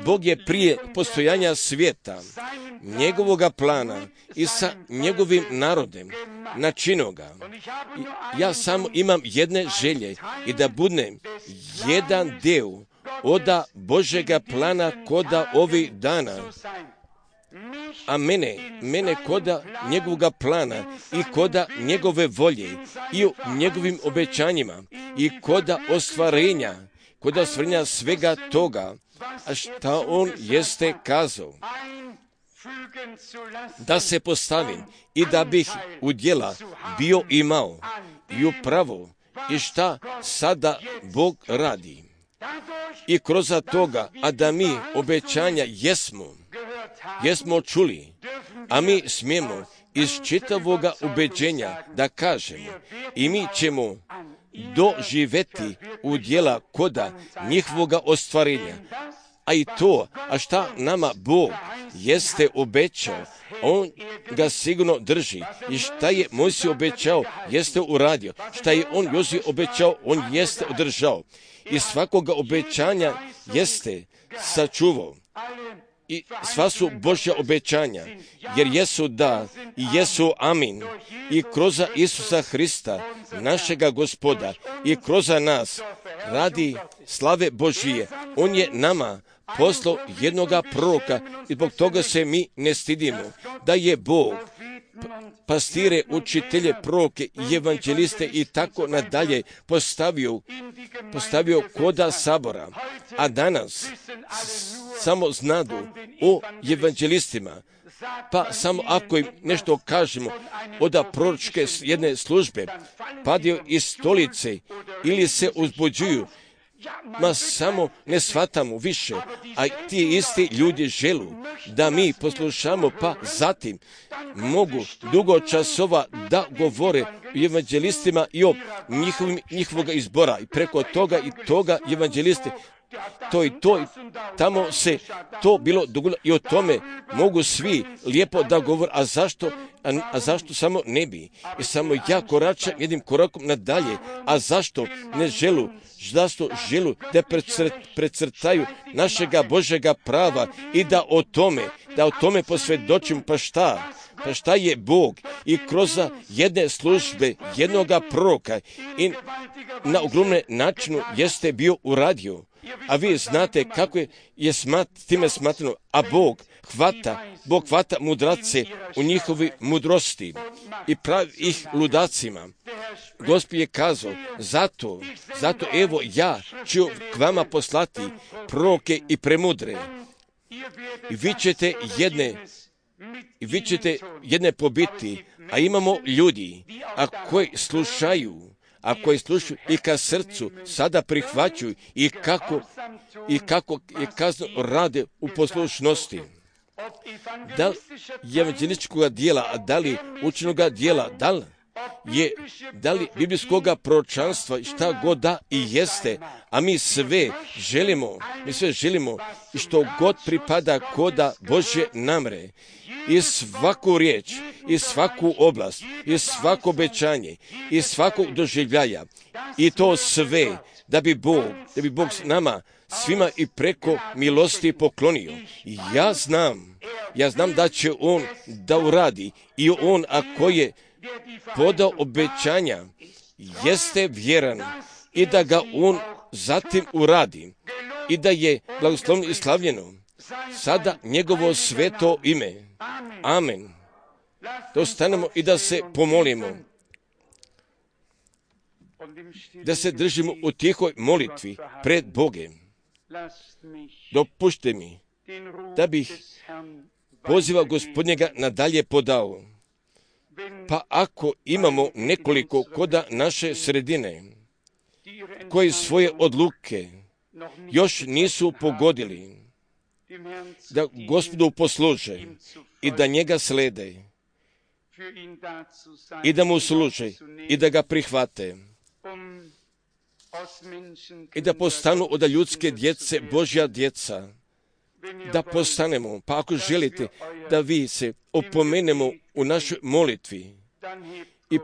Bog je prije postojanja svijeta, njegovoga plana i sa njegovim narodem načinio ga. Ja samo imam jedne želje i da budem jedan deo oda Božega plana koda ovih dana, a mene koda njegovoga plana i koda njegove volje i u njegovim obećanjima i koda ostvarenja svega toga, a šta on jeste kazao. Da se postavim i da bih u djela bio imao i upravo i šta sada Bog radi. I kroz toga, a da mi obećanja jesmo čuli, a mi smijemo iz čitavoga ubeđenja da kažemo i mi ćemo doživeti u djela koda njihovoga ostvarenja. A i to, a šta nama Bog jeste obećao, on ga sigurno drži. I šta je Mojsije obećao, jeste uradio. Šta je on Joziju obećao, on jeste održao. I svakoga obećanja jeste sačuvao. I sva su Božja obećanja, jer jesu da i jesu amin. I kroz Isusa Hrista, našega Gospoda, i kroz nas radi slave Božije. On je nama poslao jednoga proroka i zbog toga se mi ne stidimo. Da je Bog pastire, učitelje, proroke i evanđeliste i tako nadalje postavio koda sabora. A danas samo znadu o evanđelistima. Pa samo ako im nešto kažemo od proročke jedne službe, padaju iz stolice ili se uzbuđuju, samo ne shvatamo više, a ti isti ljudi želu da mi poslušamo, pa zatim mogu dugo časova da govore o evanđelistima i o njihovoga izbora i preko toga i toga evanđelisti. To i tamo se to bilo dogodilo i o tome mogu svi lijepo da govore, a zašto samo ne bi? I samo ja koračam jednim korakom nadalje, a zašto ne želu? Zašto želu da precrtaju našega Božega prava i da o tome posvjedočim, pa šta je Bog i kroz jedne službe, jednoga proroka i na ogromne načinu jeste bio uradio. A vi znate kako je time smatrano, a Bog hvata mudrace u njihovi mudrosti i pravi ih ludacima. Gospod je kazao, zato evo ja ću k vama poslati proroke i premudre. I vi ćete jedne pobiti, a imamo ljudi, koji slušaju i ka srcu sada prihvaćaju i kako je kazno rade u poslušnosti. Da li evanđelističkoga dijela, a da li učenoga dijela, da li biblijskoga proročanstva, šta god da i jeste, a mi sve želimo i što god pripada koda Božje namre. I svaku riječ, i svaku oblast, i svako obećanje, i svakog doživljaja. I to sve da bi Bog nama svima i preko milosti poklonio. I ja znam da će on da uradi. I on, ako je podao obećanja, jeste vjeran i da ga on zatim uradi. i da je blagoslovno i slavljeno sada njegovo sveto ime. Amen. Da ostanemo i da se pomolimo, da se držimo u tihoj molitvi pred Bogem. Dopušte mi da bih poziva Gospodnjega nadalje podao. Pa ako imamo nekoliko koda naše sredine koji svoje odluke još nisu pogodili, da Gospodu posluže i da njega slede i da mu služe i da ga prihvate i da postanu od ljudske djece Božja djeca, da postanemo. Pa ako želite da vi se opomenemo u našoj molitvi i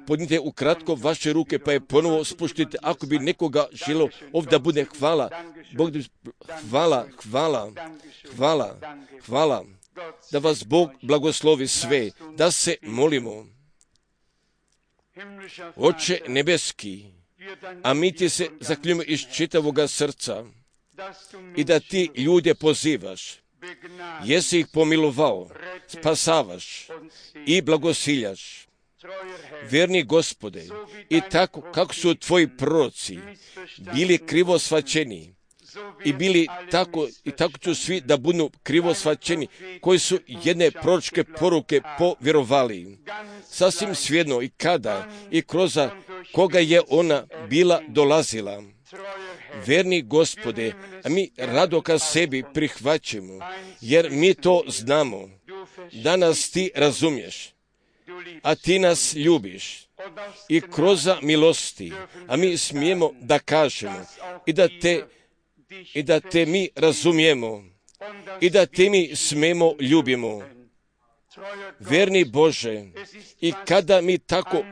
podnite ukratko vaše ruke, pa je ponovo spuštite. Ako bi nekoga želo ovdje da bude hvala, Bog, hvala, da vas Bog blagoslovi sve, da se molimo. Oče nebeski, a mi ti se zaklinjujemo iz čitavoga srca i da ti ljude pozivaš, jesi ih pomilovao, spasavaš i blagosiljaš. Vjerni Gospode, i tako kako su tvoji proroci bili krivo shvaćeni i bili tako ću svi da budu krivo shvaćeni koji su jedne proročke poruke povjerovali. Sasvim svejedno i kada i kroz koga je ona bila dolazila. Verni Gospode, a mi rado ka sebi prihvaćamo, jer mi to znamo, da nas ti razumiješ, a ti nas ljubiš i kroz milosti, a mi smijemo da kažemo i da te mi razumijemo i da te mi smijemo ljubimo. Verni Bože, i kada mi tako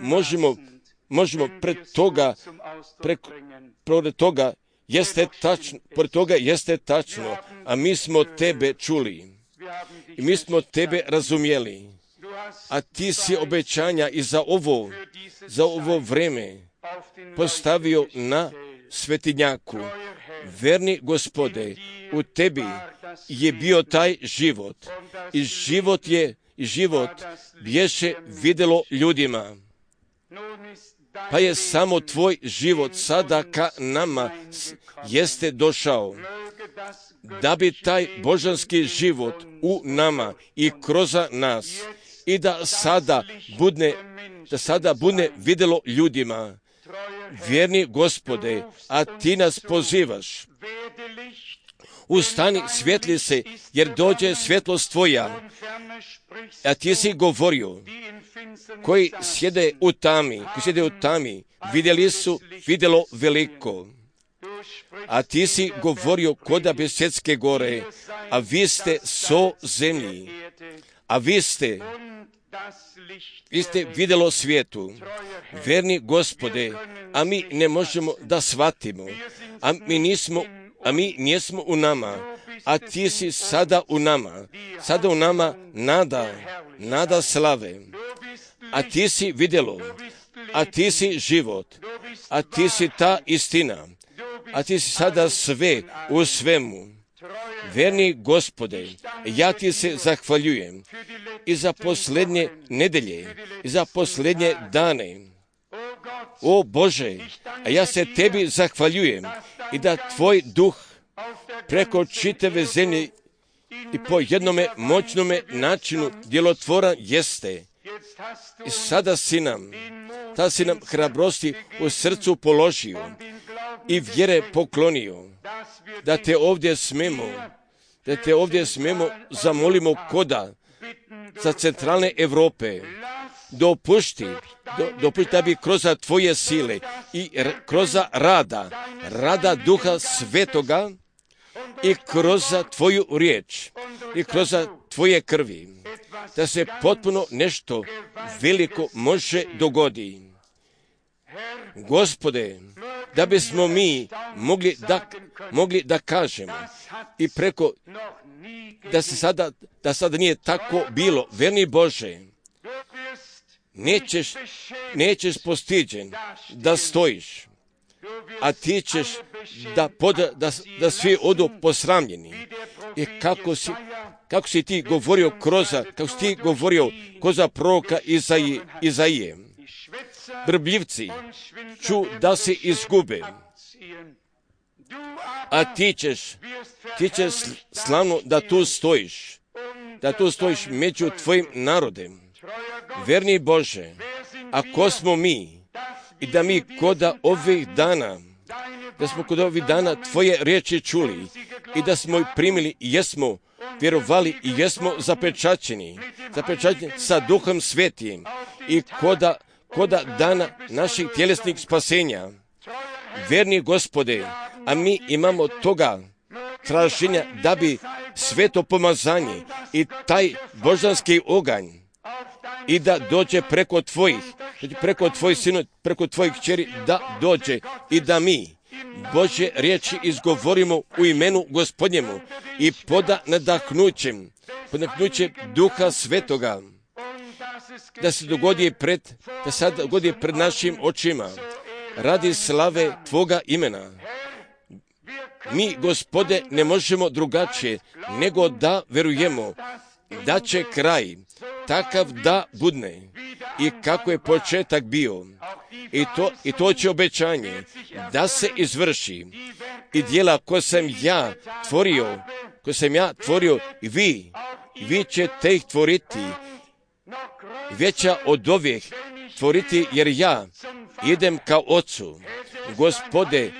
možemo pred toga jeste tačno, a mi smo tebe čuli i mi smo tebe razumjeli, a ti si obećanja i za ovo vreme postavio na svetinjaku. Verni Gospode, u tebi je bio taj život i život bješe vidjelo ljudima. Pa je samo tvoj život sada ka nama jeste došao, da bi taj božanski život u nama i kroz nas i da sada bude vidjelo ljudima. Vjerni Gospode, a ti nas pozivaš, ustani, svjetli se, jer dođe svjetlost tvoja. A ti si govorio, koji sjede u tami, vidjeli su vidjelo veliko. A ti si govorio koda Besjetske gore, a vi ste so zemlji, a vi ste vidjelo svijetu. Verni Gospode, a mi ne možemo da shvatimo, a mi nismo u nama, a ti si sada u nama nada slave, a ti si vidjelo, a ti si život, a ti si ta istina, a ti si sada sve u svemu. Verni Gospode, ja ti se zahvaljujem i za posljednje nedelje, i za posljednje dane. O Bože, a ja se tebi zahvaljujem i da tvoj duh preko čitave zemlje i po jednome moćnome načinu djelotvoran jeste. I sada si nam hrabrosti u srcu položio i vjere poklonio, da te ovdje smemo zamolimo koda za centralne Europe. Dopušti da bi kroz tvoje sile i kroz rada Duha Svetoga i kroz tvoju riječ i kroz tvoje krvi, da se potpuno nešto veliko može dogoditi. Gospode, da bismo mi mogli da kažemo i preko da sada nije tako bilo. Verni Bože, nećeš postiđen da stojiš a ti ćeš da svi odu posramljeni. I kako si ti govorio kroz proroka Izaije. Brbljivci ču da se izgube, a ti ćeš slavno da tu stojiš među tvojim narodem. Verni Bože, ako smo mi i da mi koda ovih dana, da smo kod ovih dana tvoje riječi čuli i da smo ih primili i jesmo vjerovali i jesmo zapečaćeni sa Duhom Svetim i koda dana naših tjelesnih spasenja. Verni Gospode, a mi imamo toga traženja da bi sveto pomazanje i taj božanski oganj i da dođe preko tvojih sinu, preko tvojih kćeri, da dođe i da mi Božje riječi izgovorimo u imenu Gospodnjemu i poda nadahnuće Duha Svetoga, da se dogodi pred našim očima, radi slave Tvoga imena. Mi, Gospode, ne možemo drugačije nego da verujemo da će kraj takav da budne i kako je početak bio. I to će obećanje da se izvrši. I djela koje sam ja tvorio i vi ćete ih tvoriti, veća od ovih tvoriti, jer ja idem ka Ocu. Gospode,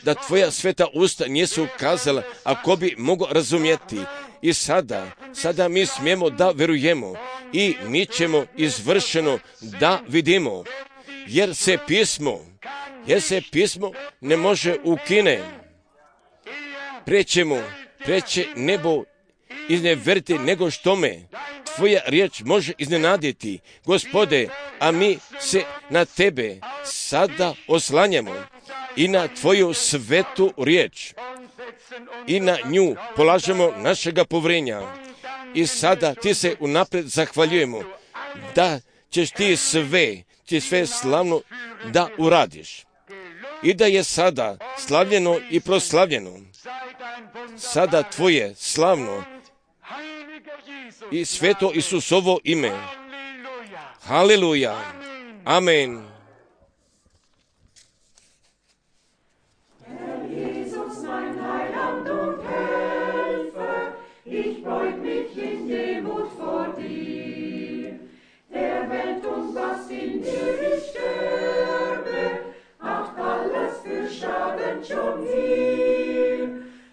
da tvoja sveta usta nisu kazala, ako bi mogao razumjeti. I sada mi smijemo da verujemo i mi ćemo izvršeno da vidimo, jer se pismo ne može ukine. Preće nebo izneveriti nego što me tvoja riječ može iznenaditi. Gospode, a mi se na tebe sada oslanjamo i na tvoju svetu riječ i na nju polažemo našega povrenja. I sada ti se unaprijed zahvaljujemo da ćeš ti sve slavno da uradiš. I da je sada slavljeno i proslavljeno. Sada tvoje slavno i sveto Isusovo ime. Haleluja. Amen. Schon hier.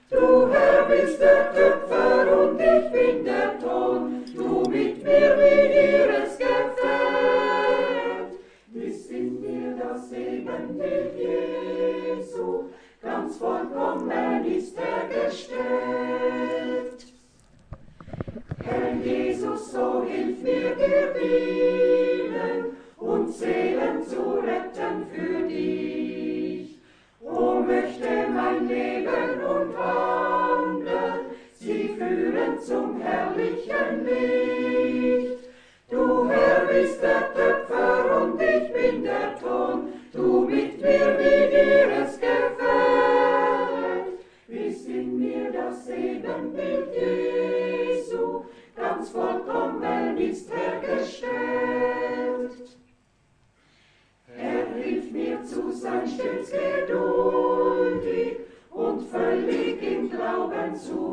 Du Herr bist der Töpfer und ich bin der Ton, du mit mir wie ihres Gefällt. Ist in mir das Ebenbild Jesu, ganz vollkommen ist gestellt. Herr Jesus, so hilf mir dir dienen und Seelen zu retten für dich. O möchte mein Leben und Wandeln sie führen zum herrlichen Licht. Du Herr bist der Töpfer und ich bin der Ton, du mit mir wie dir es gefällt. Ist in mir das Ebenbild Jesu, ganz vollkommen ist hergestellt. Hilf mir zu sein stets geduldig und völlig im Glauben zu